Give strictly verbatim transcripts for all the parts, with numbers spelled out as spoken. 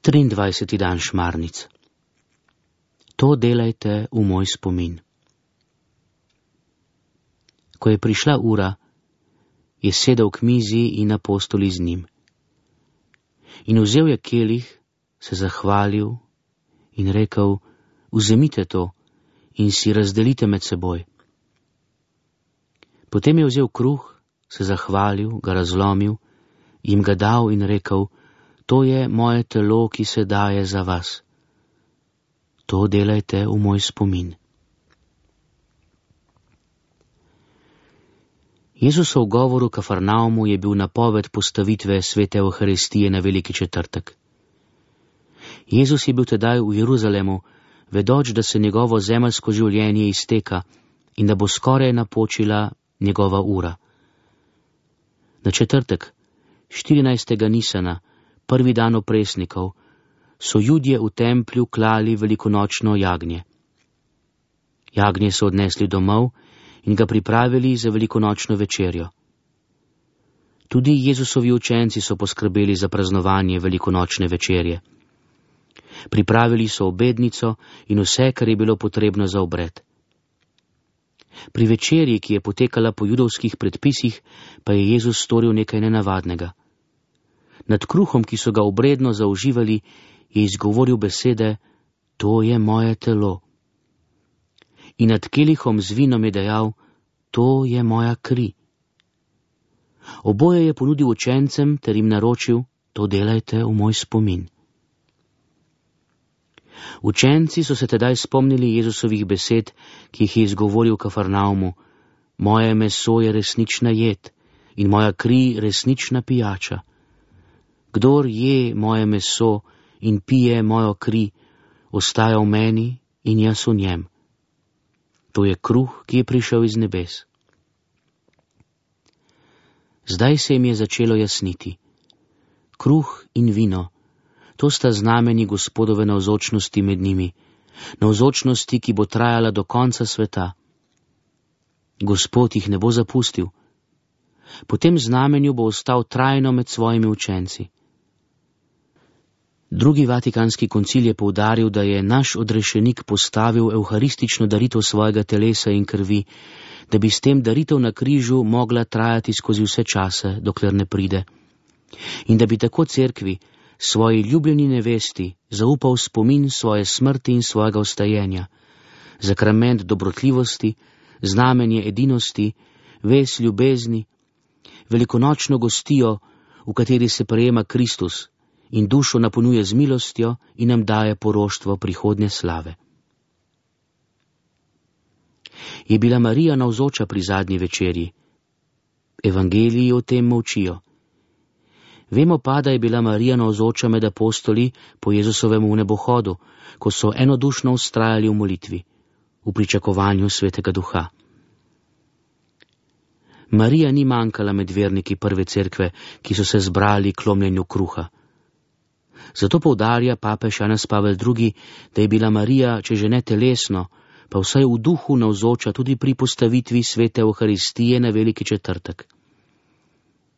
triindvajseti dan šmarnic. To delajte v moj spomin. Ko je prišla ura, je sedel k mizi in apostoli z njim. In vzel je kelih, se zahvalil in rekel, vzemite to in si razdelite med seboj. Potem je vzel kruh, se zahvalil, ga razlomil, jim ga dal in rekel, to je moje telo, ki se daje za vas. To delajte v moj spomin. Jezusov govor v Kafarnaumu je bil napoved postavitve svete Evharistije na veliki četrtek. Jezus je bil tedaj v Jeruzalemu, vedoč, da se njegovo zemeljsko življenje izteka in da bo skoraj napočila njegova ura. Na četrtek, štirinajstega Nisana, prvi dan opresnikov, so Judje v templju klali velikonočno jagnje. Jagnje so odnesli domov in ga pripravili za velikonočno večerjo. Tudi Jezusovi učenci so poskrbeli za praznovanje velikonočne večerje. Pripravili so obednico in vse, kar je bilo potrebno za obred. Pri večerji, ki je potekala po judovskih predpisih, pa je Jezus storil nekaj nenavadnega. Nad kruhom, ki so ga obredno zauživali, je izgovoril besede, to je moje telo. In nad kelihom z vinom je dejal, to je moja kri. Oboje je ponudil učencem ter jim naročil, to delajte v moj spomin. Učenci so se tedaj spomnili Jezusovih besed, ki jih je izgovoril v Kafarnaumu, moje meso je resnična jed in moja kri resnična pijača. Kdor je moje meso in pije mojo kri, ostaja v meni in jaz v njem. To je kruh, ki je prišel iz nebes. Zdaj se jim je začelo jasniti. Kruh in vino, to sta znameni Gospodove navzočnosti med njimi, navzočnosti, ki bo trajala do konca sveta. Gospod jih ne bo zapustil. Po tem znamenju bo ostal trajno med svojimi učenci. Drugi vatikanski koncil je poudaril, da je naš odrešenik postavil evharistično daritev svojega telesa in krvi, da bi s tem daritev na križu mogla trajati skozi vse čase, dokler ne pride. In da bi tako cerkvi, svoji ljubljeni nevesti, zaupal spomin svoje smrti in svojega vstajenja, zakrament dobrotljivosti, znamenje edinosti, vez ljubezni, velikonočno gostijo, v kateri se prejema Kristus, in dušo napolnjuje z milostjo in nam daje poroštvo prihodnje slave. Je bila Marija navzoča pri zadnji večerji? Evangeliji o tem molčijo. Vemo pa, da je bila Marija navzoča med apostoli po Jezusovem nebohodu, ko so enodušno vztrajali v molitvi, v pričakovanju Svetega Duha. Marija ni manjkala med verniki prve cerkve, ki so se zbrali k lomljenju kruha. Zato poudarja papež Janez Pavel drugi, da je bila Marija, če že ne telesno, pa vsaj v duhu navzoča tudi pri postavitvi svete Evharistije na veliki četrtek.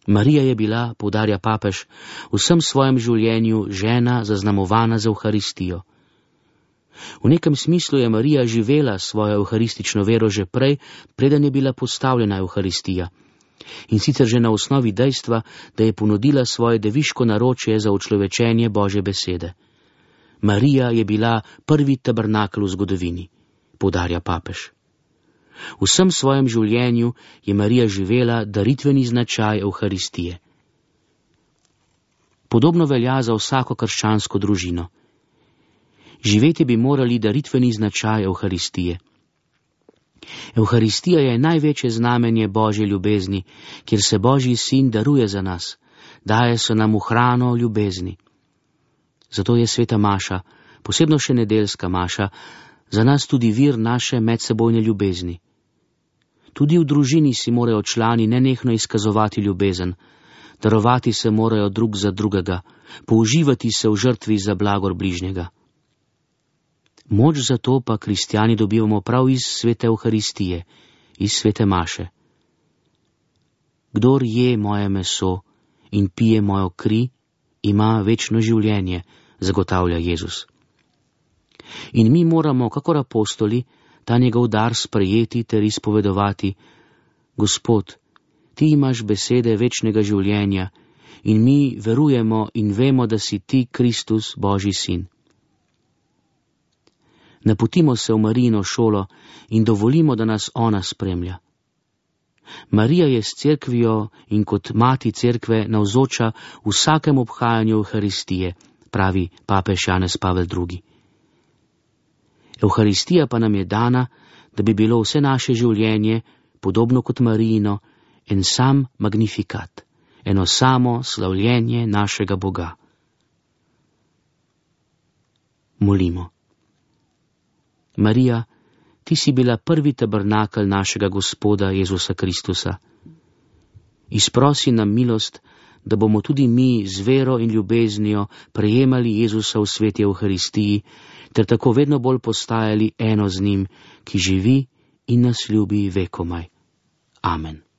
Marija je bila, poudarja papež, v vsem svojem življenju žena zaznamovana z Evharistijo. V nekem smislu je Marija živela svojo evharistično vero že prej, preden je bila postavljena Evharistija. In sicer že na osnovi dejstva, da je ponudila svoje deviško naročje za učlovečenje Božje besede. Marija je bila prvi tabernakel v zgodovini, poudarja papež. V vsem svojem življenju je Marija živela daritveni značaj Evharistije. Podobno velja za vsako krščansko družino. Živeti bi morali daritveni značaj Evharistije. Evharistija je največje znamenje Božje ljubezni, kjer se Božji sin daruje za nas, daje se nam v hrano ljubezni. Zato je sveta maša, posebno še nedeljska maša, za nas tudi vir naše medsebojne ljubezni. Tudi v družini si morajo člani nenehno izkazovati ljubezen, darovati se morajo drug za drugega, použivati se v žrtvi za blagor bližnjega. Moč za to pa kristjani dobivamo prav iz svete Evharistije, iz svete maše. Kdor je moje meso in pije mojo kri, ima večno življenje, zagotavlja Jezus. In mi moramo, kakor apostoli, ta njegov dar sprejeti ter izpovedovati: Gospod, ti imaš besede večnega življenja in mi verujemo in vemo, da si ti Kristus, Božji sin. Napotimo se v Marijino šolo in dovolimo, da nas ona spremlja. Marija je s cerkvijo in kot mati cerkve navzoča vsakem obhajanju Evharistije, pravi papež Janez Pavel drugi. Evharistija pa nam je dana, da bi bilo vse naše življenje, podobno kot Marijino, en sam magnifikat, eno samo slavljenje našega Boga. Molimo. Marija, ti si bila prvi tabernakelj našega Gospoda Jezusa Kristusa. Izprosi nam milost, da bomo tudi mi z vero in ljubeznijo prejemali Jezusa v sveti Evharistiji, ter tako vedno bolj postajali eno z njim, ki živi in nas ljubi vekomaj. Amen.